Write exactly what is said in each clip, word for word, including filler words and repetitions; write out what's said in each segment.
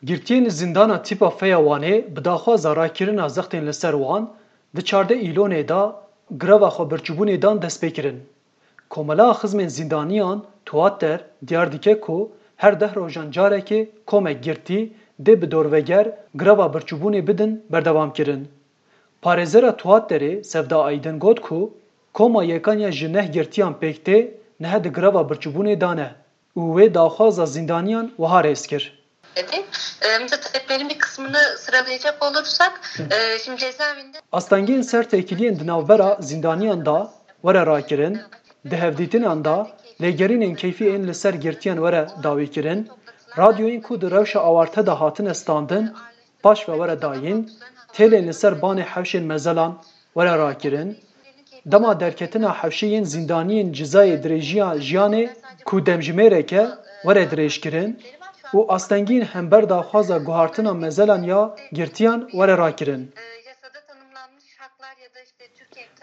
Girtiyên li zîndana tîpa Feya Wanê bi daxwaza rakirina zextên li ser wan di çardeh Îlonê de greva xwebirçîbûnê dan destpêkirin. Komela Xizmên Zîndaniyan Tuater diyar dike ku her deh rojan carekê komek girtî dê bi dorveger greva birçîbûnê bidin berdewamkirin. Parêzera Tuaterê Sevda Aydin got ku koma yekan ya ji neh girtiyan pêk tê niha di greva birçîbûnê de ne û wê daxwaza zîndaniyan wiha rêz kir. Dedi. E, mesela taleplerin bir kısmını sıralayacak olursak, e, şimdi cezaevinde Astengên ser têkiliyên di navbera zîndaniyan de were rakirin, di hevdîtinan de lêgerînên keyfî ên li ser girtiyan were dawîkirin, radyoyên ku di rewşa awarte de hatine standin, paş ve were dayîn, têlên li ser banê hewşên mezelan were rakirin, dema derketina hewşê yên zîndaniyên cizayê dirêjiya jiyanê ku demjimêrek e were dirêjkirin û astengîn hember daxwaza guhartina mezelan ya girtiyan were rakirin.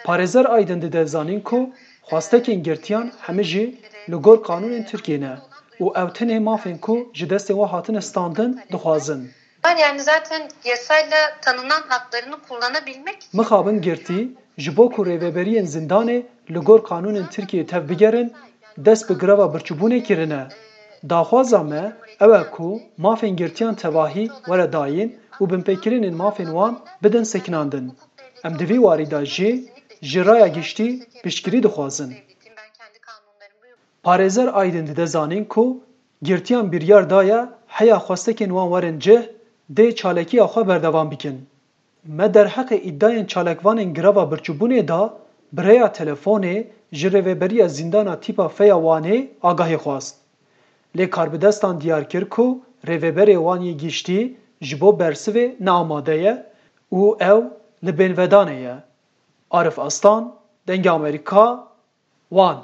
Parêzer Aydin dide zanîn ku xwastekên girtiyan hemî jî li gor qanûnên Tirkiyê ne û ew tenê mafên ku ji destê wan hatine standin dixwazin. Var yani zaten yasayla tanınan haklarını kullanabilmek Mixabin girtî ji bo ku rêveberiyên zindanê li gor qanûnên Tirkiyê tev bigerin, dest bi greva birçîbûnê kirine. Daxwaza me ew e ku mafên girtiyan tevahî were dayîn û binpêkirinên mafên wan bidin sekinandin. Em di vî warî de jî ji raya giştî piştgirî dixwazin. Parêzer Aydin dide zanîn ku girtiyan biryar daye heya xwestekên wan werin cih, dê çalekiya xwe berdewam bikin. Me derheqê îdayên çalakvanên greva birçîbûnê de bi rêya telefonê ji Rêveberiya Zîndana Tîpa Feya Wanê agahî xwest. Lê karbidestan diyar kir ku rêveberê wan yê giştî ji bo bersivê ne amade ye û ew li bênvedanê ye. Arif Aslan, Dengê Amerîka, Wan.